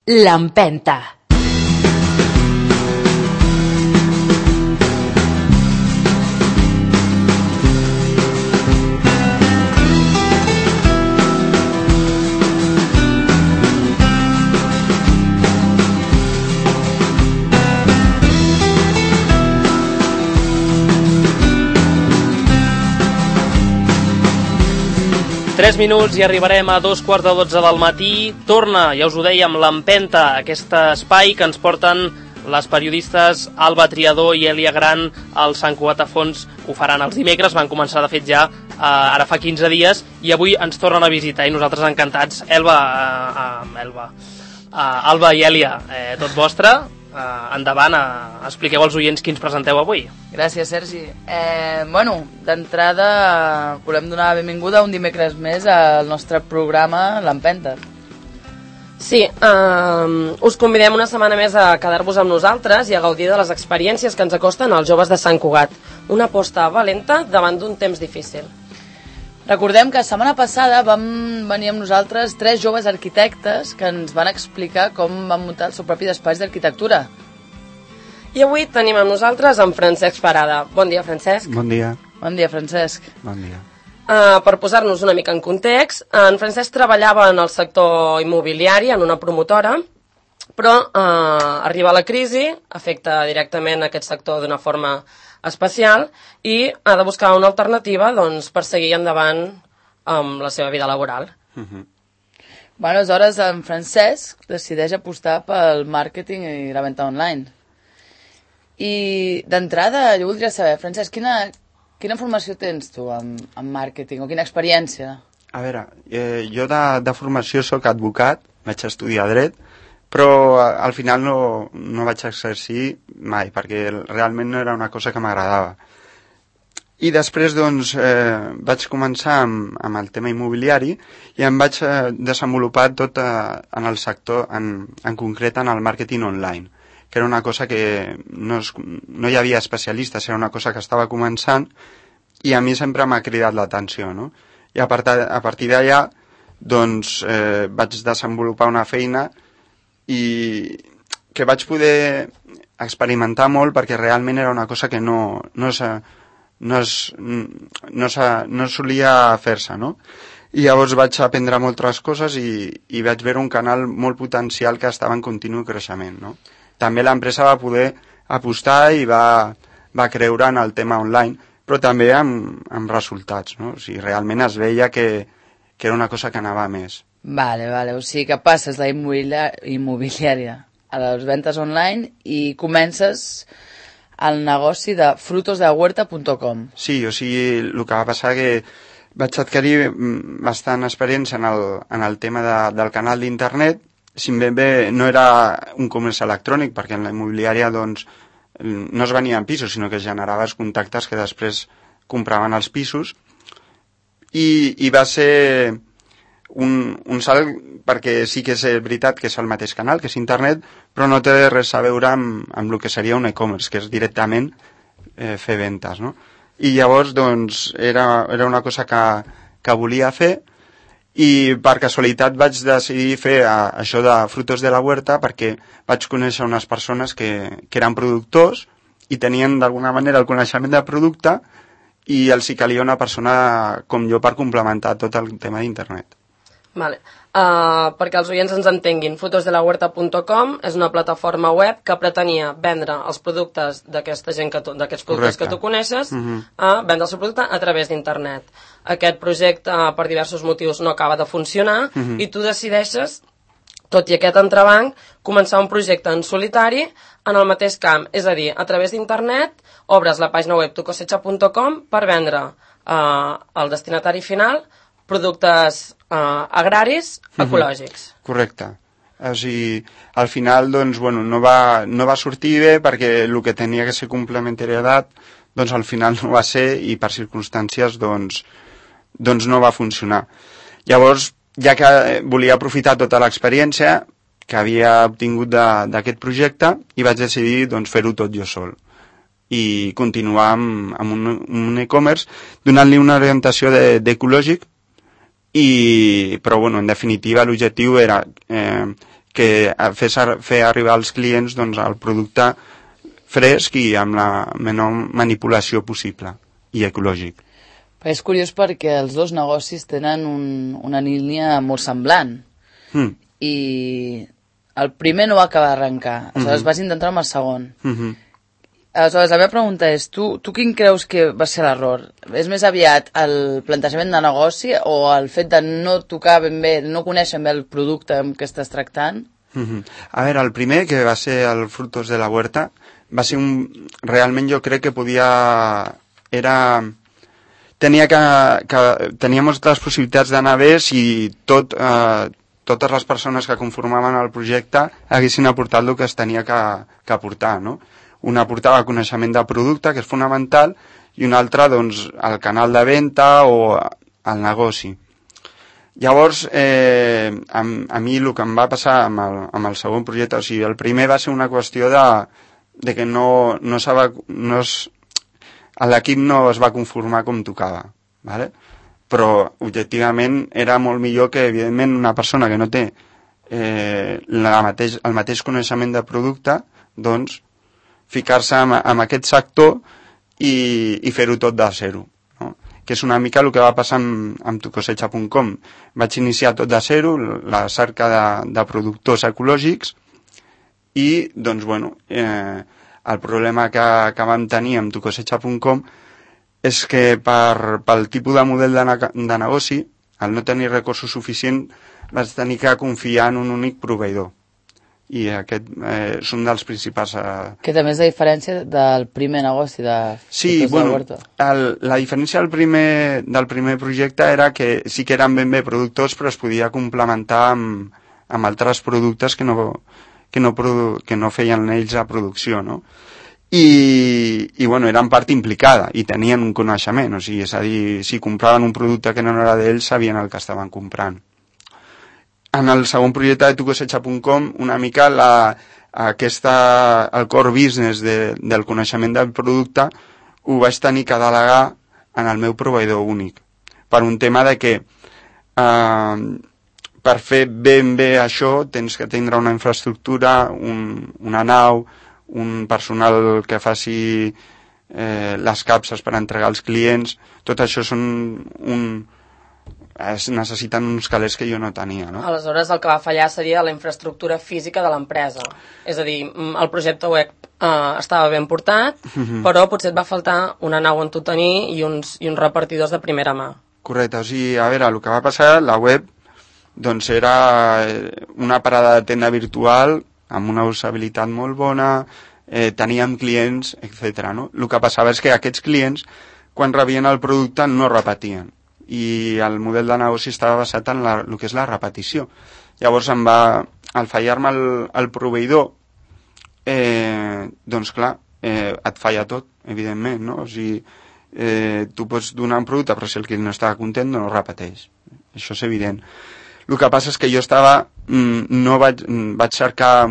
L'Empenta. Tres minuts i arribarem a 2:45 del matí. Torna, ja us ho dèiem, l'Empenta, aquest espai que ens porten les periodistes Alba Triador i Èlia Gran al Sant Cugat a Fons. Ho faran els dimecres, van començar de fet ja ara fa 15 dies i avui ens tornen a visitar i nosaltres encantats. Alba i Èlia, tot vostre. Endavant, expliqueu als oients qui ens presenteu avui. Gràcies, Sergi. D'entrada volem donar la benvinguda un dimecres més al nostre programa L'Empenta. Sí, us convidem una setmana més a quedar-vos amb nosaltres i a gaudir de les experiències que ens acosten als joves de Sant Cugat. Una aposta valenta davant d'un temps difícil. Recordem que la setmana passada vam venir amb nosaltres 3 joves arquitectes que ens van explicar com van muntar el seu propi despatx d'arquitectura. I avui tenim amb nosaltres en Francesc Parada. Bon dia, Francesc. Bon dia. Bon dia, Francesc. Bon dia. Per posar-nos una mica en context, en Francesc treballava en el sector immobiliari, en una promotora, però arriba la crisi, afecta directament aquest sector d'una forma especial i ha de buscar una alternativa per seguir endavant amb la seva vida laboral. Aleshores en Francesc decideix apostar pel màrqueting i la venda online. I d'entrada jo voldria saber, Francesc, quina formació tens tu en màrqueting o quina experiència? A veure, jo de formació soc advocat, vaig estudiar dret, però al final no vaig exercir mai, perquè realment no era una cosa que m'agradava. I després vaig començar amb el tema immobiliari i em vaig desenvolupar tot en el sector, en concret en el màrqueting online, que era una cosa que no hi havia especialistes, era una cosa que estava començant i a mi sempre m'ha cridat l'atenció, no? I a partir d'allà vaig desenvolupar una feina i que vaig poder experimentar molt perquè realment era una cosa que no solia fer-se, no? I llavors vaig aprendre moltes coses i vaig veure un canal molt potencial que estava en continu creixement, no? També l'empresa va poder apostar i va creure en el tema online, però també amb resultats, no? O sigui, realment es veia que era una cosa que anava més. Vale, o sigui que passes la immobiliària a les ventes online i comences el negoci de frutosdehuerta.com. Sí, o sigui, el que va passar que vaig adquirir bastant experiència en el tema del canal d'internet. Si bé no era un comerç electrònic, perquè en la immobiliària no es venien pisos, sinó que generaves contactes que després compraven els pisos. I va ser un salt, perquè sí que és veritat que és el mateix canal, que és internet, però no té res a veure amb el que seria un e-commerce, que és directament fer ventes, no? I llavors era una cosa que volia fer i per casualitat vaig decidir fer això de Frutos de la Huerta perquè vaig conèixer unes persones que eren productors i tenien d'alguna manera el coneixement del producte i els hi calia una persona com jo per complementar tot el tema d'internet. Vale. Perquè els oients ens entenguin, frutosdelahuerta.com és una plataforma web que pretenia vendre els productes d'aquesta gent d'aquests productes que tu coneixes, vendre el seu producte a través d'internet. Aquest projecte, per diversos motius, no acaba de funcionar i tu decideixes, tot i aquest entrebanc, començar un projecte en solitari en el mateix camp. És a dir, a través d'internet obres la pàgina web tucosecha.com per vendre al destinatari final productes agraris ecològics. Correcte. O sigui, al final no va sortir bé perquè el que tenia que ser complementarietat al final no va ser i per circumstàncies no va funcionar. Llavors, ja que volia aprofitar tota l'experiència que havia obtingut d'aquest projecte i vaig decidir fer-ho tot jo sol i continuar amb un e-commerce donant-li una orientació d'ecològic però en definitiva l'objectiu era que fer arribar als clients doncs, el producte fresc i amb la menor manipulació possible i ecològic. Però és curiós perquè els dos negocis tenen una línia molt semblant i el primer no va acabar d'arrencar, aleshores vas intentar amb el segon. Aleshores, la meva pregunta és, tu quin creus que va ser l'error? És més aviat el plantejament de negoci o el fet de no tocar ben bé, no conèixer ben bé el producte amb què estàs tractant? A veure, el primer, que va ser el Frutos de la Huerta, va ser realment jo crec que tenia moltes possibilitats d'anar bé si totes les persones que conformaven el projecte haguessin aportat el que es tenia que aportar, no? Una aportava coneixement del producte, que és fonamental, i una altra, doncs, el canal de venda o el negoci. Llavors, a mi el que em va passar amb el segon projecte, o sigui, el primer va ser una qüestió de que l'equip no es va conformar com tocava, ¿vale? Però objectivament era molt millor que, evidentment, una persona que no té el mateix coneixement de producte, doncs, ficar-se en aquest sector i fer-ho tot de zero, no? Que és una mica el que va passar amb tucosecha.com. Vaig iniciar tot de zero, la cerca de productors ecològics i, doncs, bueno, el problema que vam tenir amb tucosecha.com és que pel tipus de model de negoci, al no tenir recursos suficients, vaig tenir que confiar en un únic proveïdor. I aquest és un dels principals... Que també és la diferència del primer negoci de Frutos de la Huerta. La diferència del primer projecte era que sí que eren ben bé productors, però es podia complementar amb altres productes que no feien ells a producció, no? I bueno, eren part implicada i tenien un coneixement, o sigui, és a dir, si compraven un producte que no era d'ells, sabien el que estaven comprant. En el segon projecte de tucosecha.com, una mica el core business del coneixement del producte ho vaig tenir que delegar en el meu proveïdor únic, per un tema de que per fer ben bé això tens que tindre una infraestructura, una nau, un personal que faci les capses per entregar als clients. Tot això necessiten uns calés que jo no tenia, no? Aleshores, el que va fallar seria la infraestructura física de l'empresa. És a dir, el projecte web estava ben portat, però potser et va faltar una nau on tu tenir i uns repartidors de primera mà. Correcte, o sigui, a veure, el que va passar, la web, doncs era una parada de tenda virtual amb una usabilitat molt bona, teníem clients, etc. No? El que passava és que aquests clients, quan rebien el producte, no repetien. I el model de negoci estava basat en el que és la repetició. Llavors, al fallar-me el proveïdor, doncs clar, et falla tot, evidentment, no? O sigui, tu pots donar un producte, però si el client no està content, no repeteix. Això és evident. El que passa és que jo vaig cercar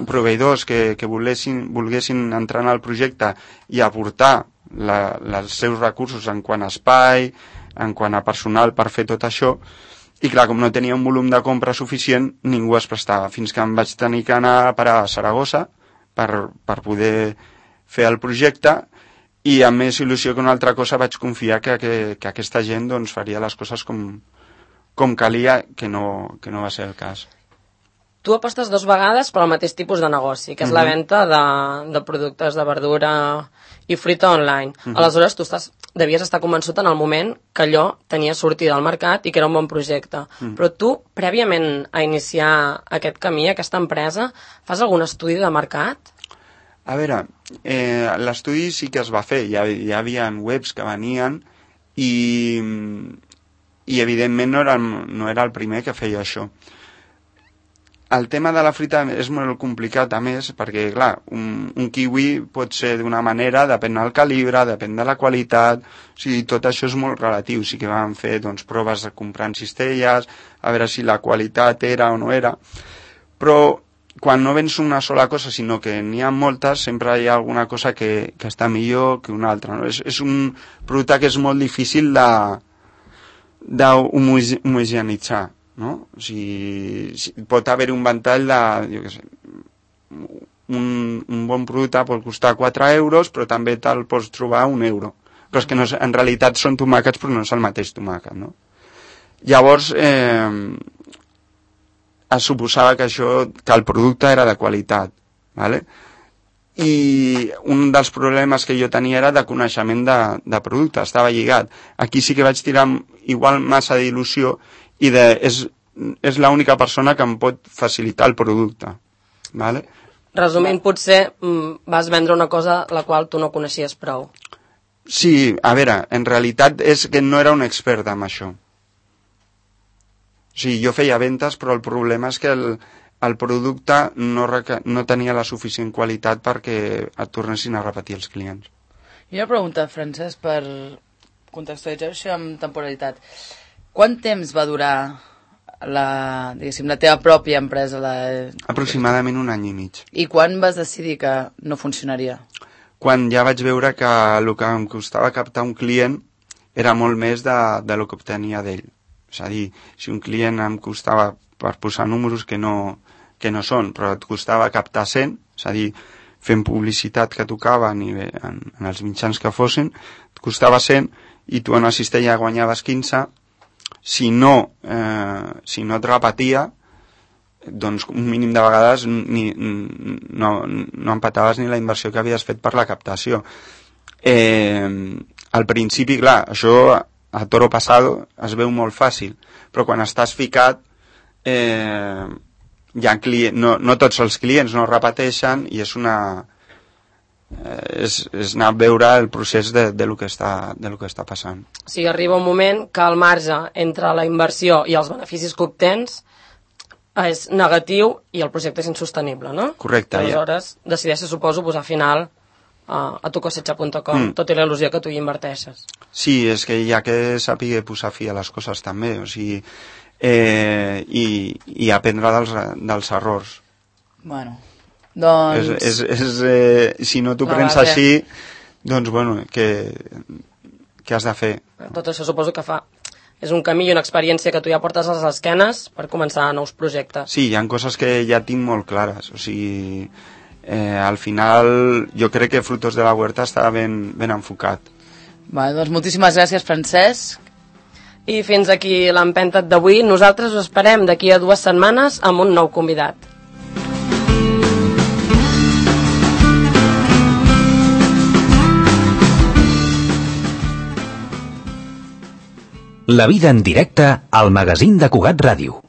proveïdors que volguessin entrar en el projecte i aportar els seus recursos en quant a espai, en quant a personal per fer tot això, i clar, com no tenia un volum de compra suficient, ningú es prestava, fins que em vaig tenir que anar a parar a Saragossa per poder fer el projecte, i amb més il·lusió que una altra cosa vaig confiar que aquesta gent doncs, faria les coses com calia, que no va ser el cas. Tu apostes 2 vegades per al mateix tipus de negoci, que és la venda de productes de verdura i fruita online. Aleshores, tu devies estar convençut en el moment que allò tenia sortida al mercat i que era un bon projecte. Però tu, prèviament a iniciar aquest camí, aquesta empresa, fas algun estudi de mercat? A veure, l'estudi sí que es va fer. Hi havia webs que venien i evidentment no era el primer que feia això. El tema de la fruita és molt complicat, a més, perquè, clar, un kiwi pot ser d'una manera, depèn del calibre, depèn de la qualitat, o sigui, tot això és molt relatiu. Sí que vam fer, doncs, proves de comprar en cistelles, a veure si la qualitat era o no era, però quan no vens una sola cosa, sinó que n'hi ha moltes, sempre hi ha alguna cosa que està millor que una altra, no? És un producte que és molt difícil d'homogeneïtzar, no? O sigui, pot haver un ventall de, jo què sé, un bon producte pot costar 4 euros, però també te'l pots trobar a 1 euro. Però és que no, en realitat són tomàquets, però no és el mateix tomàquet, no? Llavors, es suposava que el producte era de qualitat, ¿vale? I un dels problemes que jo tenia era de coneixement de producte, estava lligat. Aquí sí que vaig tirar igual massa d'il·lusió i és l'única persona que em pot facilitar el producte, ¿vale? Resumint, potser vas vendre una cosa la qual tu no coneixies prou. Sí, a veure, en realitat és que no era un expert en això. O sigui, jo feia ventes, però el problema és que el producte no tenia la suficient qualitat perquè et tornessin a repetir els clients. I una pregunta, Francesc, per contextualitzar això amb temporalitat. Quant temps va durar la teva pròpia empresa? Aproximadament 1 any i mig. I quan vas decidir que no funcionaria? Quan ja vaig veure que el que em costava captar un client era molt més del que obtenia d'ell. És a dir, si un client em costava, per posar números que no són, però et costava captar 100, és a dir, fent publicitat que tocava en els mitjans que fossin, et costava 100 i tu en una cistella guanyaves 15, si no et repetia, doncs un mínim de vegades no empataves ni la inversió que havies fet per la captació. Al principi, clar, això a toro pasado es veu molt fàcil, però quan estàs ficat no tots els clients no repeteixen i és anar a veure el procés de lo que està passant. O sigui, arriba un moment que el marge entre la inversió i els beneficis que obtens és negatiu i el projecte és insostenible, no? Correcte. Aleshores, decideixes, suposo, posar final a tucosecha.com, tot i la il·lusió que tu hi inverteixes. Sí, és que hi ha que saber posar fi a les coses també, o sigui, i aprendre dels errors. Bueno, doncs... Si no t'ho prens així, doncs, bueno, què has de fer? Tot això suposo que és un camí i una experiència que tu ja portes a les esquenes per començar nous projectes. Sí, hi ha coses que ja tinc molt clares, o sigui... al final jo crec que Frutos de la Huerta està ben enfocat. Doncs moltíssimes gràcies, Francesc. I fins aquí l'empenta d'avui. Nosaltres us esperem d'aquí a 2 setmanes amb un nou convidat. La vida en directe al magazín de Cugat Ràdio.